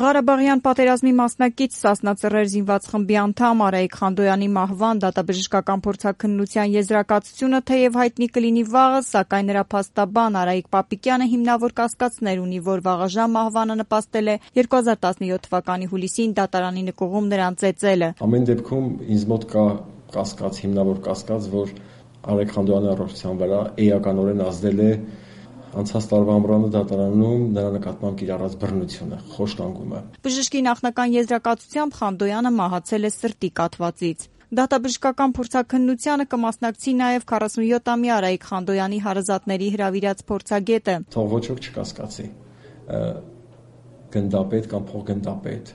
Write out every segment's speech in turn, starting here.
Ղարաբաղյան պատերազմի մասնակից Սասնա Ծռեր զինված խմբի անդամ Արայիկ Խանդոյանի մահվան դատաբժշկական փորձաքննության եզրակացությունը թեև հայտնի կլինի վաղը, սակայն նրա փաստաբան Արայիկ Պապիկյանը հիմնավոր կասկածներ ունի, որ վաղաժամ մահվանը նպաստել է 2017 թվականի հուլիսին դատարանի նկուղում նրան ծեծելը։ Ամեն դեպքում ինձ մոտ կա կասկած, հիմնավոր կասկած, որ Արայիկ Խանդոյանի առողջության վրա էականորեն ազդել է անցած տարվա ամռանը դատարանում նրա նկատմամբ կիրառած բռնությունը, խոշտանգումը։ Բժշկի նախնական եզրակացությամբ Խանդոյանը մահացել է սրտի կաթվածից։ Դատաբժշկական փորձաքննությանը կմասնակցի նաև 47-ամյա Արայիկ Խանդոյանի հարազատների հրավիրած փորձագետը։ Թող ոչ ոք չկասկածի, գնդապետ կամ փոխգնդապետ,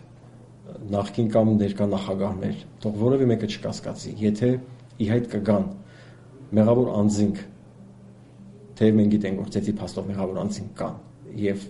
նախկին կամ ներկա նախագահներ, թող որևէ մեկը չկասկածի, եթե ի հայտ կգան մեղավոր անձինք, թեև մենք գիտենք, որ ծեծի փաստով մեղավոր անձինք կան, եւ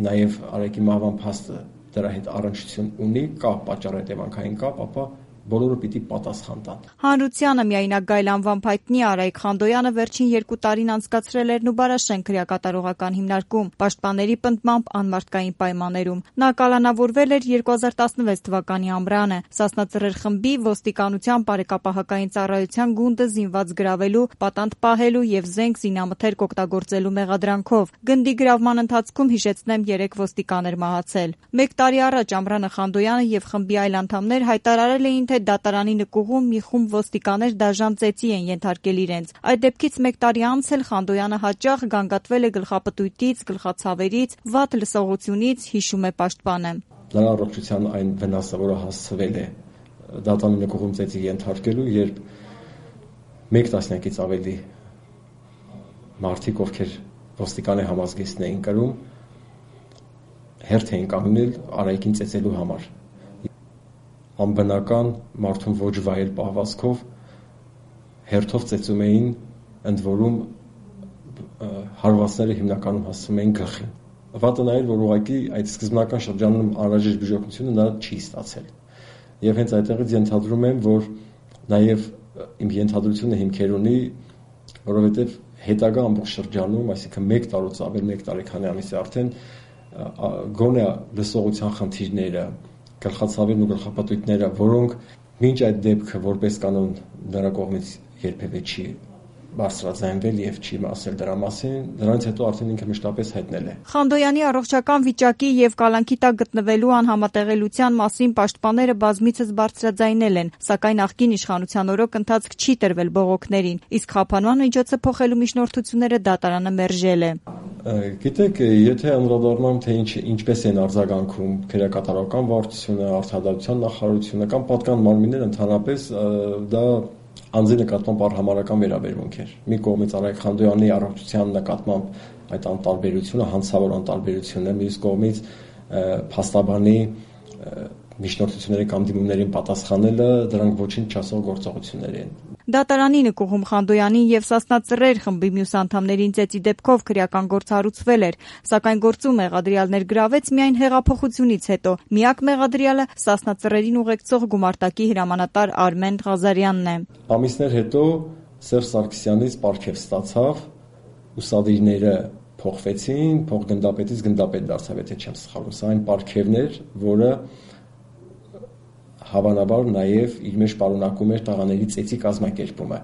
նաեւ Արայիկի մահվան փաստը դրա հետ առնչություն ունի, կա պատճառ-հետևանքային կապ, ապա բոլորը պիտի պատասխան տան։ Հանրությանը միայնակ գայլ անվամբ հայտնի Արայիկ Խանդոյանը վերջին 2 տարին անցկացրել էր Նուբարաշեն քրեակատարողական հիմնարկում, պաշտպանների պնդմամբ անմարդկային պայմաններում։ Նա կալանավորվել էր 2016 թվականի ամռանը։ Սասնա Ծռեր խմբի ոստիկանության բարեկապահական ծառայության գունդը զինված գրավելու, պատանդ պահելու եւ զենք զինամթերք օգտագործելու մեղադրանքով։ Գնդի գրավման ընթացքում հիշեցնեմ 3 ոստիկան էր մահացել։ 1 տարի առաջ ամռանը Խանդոյանը եւ խմբի այլ անդամներ հայտարարել էին, թե դատարանի նկուղում մի խումբ ոստիկաներ դաժան ծեծի են ենթարկել իրենց։ Այդ դեպքից 1 տարի անց էլ Խանդոյանը հաճախ գանգատվել է գլխապտույտից, գլխացավերից, վատ լսողությունից, հիշում է պաշտպանը։ Նրա առողջության այն վնասը, որը հասցվել է դատարանի նկուղում ծեծի ենթարկելու, երբ 1 տասնյակից ավելի մարդիկ, ովքեր ոստիկանի համազգեստն էին կրում, հերթ էին կանգնել Արայիկին ծեծելու համար։ Անբնական մարդուն ոչ վայել պահվածքով հերթով ծեծում էին, ընդ որում հարվածները հիմնականում հասցվում էին գլխին։ Վատը նա էր, որ ուղղակի այդ սկզբնական շրջանում անհրաժեշտ բուժօգնությունը նա չի ստացել։ Եվ հենց այդտեղից ենթադրում եմ, որ նաև իմ ենթադրությունը հիմքեր ունի, որովհետև հետագա ամբողջ շրջանում, այսինքն 1 տարուց ավել 1 տարեկանի ամիսի արդեն գոնե լսողության խնդիրները, գլխացավերն ու գլխապտույտները, որոնք մինչ այդ դեպքը որպես կանոն նրա կողմից երբևէ չի բարձրաձայնվել եւ չի ասել դրա մասին, դրանից հետո արդեն ինքը մշտապես հայտնել է։ Խանդոյանի առողջական վիճակի եւ կալանքի տակ գտնվելու անհամատեղելիության մասին պաշտպանները բազմիցս բարձրաձայնել են, սակայն նախկին իշխանության օրոք ընթացք չի տրվել բողոքներին, իսկ խափանման միջոցը փոխելու միջնորդությունները դատարանը մերժել է։ Գիտեք, եթե անդրադառնամ, թե ինչպես են արձագանքում քրեակատարական վարչությունը, արդարադատության նախարարությունը կամ պատկան մարմինները ընդհանրապես, դա անձի նկատմամբ արհամարհական վերաբերմունք էր։ Մի կողմից Արայիկ Խանդոյանի առողջության նկատմամբ այդ անտարբերությունը, հանցավոր անտարբերությունը, մյուս կողմից փաստաբանի միջնորդությունների կամ դիմումներին պատասխանելը, դրանք ոչինչ չասող գործողություններ են։ Դատարանի նկուղում Խանդոյանի եւ Սասնա Ծռեր խմբի մյուս անդամներին ծեծի դեպքով քրեական գործ հարուցվել էր, սակայն գործում մեղադրյալներ գրավեց միայն հեղափոխությունից հետո։ Միակ մեղադրյալը Սասնա Ծռերին ուղեկցող գումարտակի հրամանատար Արմեն Ղազարյանն է։ Ամիսներ հետո Սերժ Սարգսյանից պարգև ստացավ, ուսադիրները փոխվեցին, փոխգնդապետից գնդապետ դարձավ, եթե չեմ սխալվում։ Սա այն պարգևն էր, որը հավանաբար նաև իր մեջ պարունակում էր տղաների ծեծի կազմակերպումը։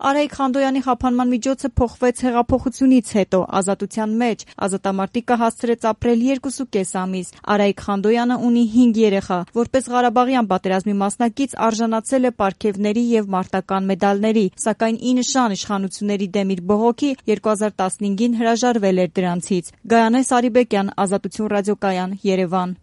Արայիկ Խանդոյանի խափանման միջոցը փոխվեց հեղափոխությունից հետո, ազատության մեջ։ Ազատամարտիկը հասցրեց ապրել 2.5 ամիս։ Արայիկ Խանդոյանը ունի 5 երեխա։ Որպես Ղարաբաղյան պատերազմի մասնակից արժանացել է պարգևների եւ մարտական մեդալների, սակայն ի նշան իշխանությունների դեմ իր բողոքի 2015-ին հրաժարվել էր դրանցից։ Գայանե Սարիբեկյան, Ազատություն ռադիոկայան, Երևան։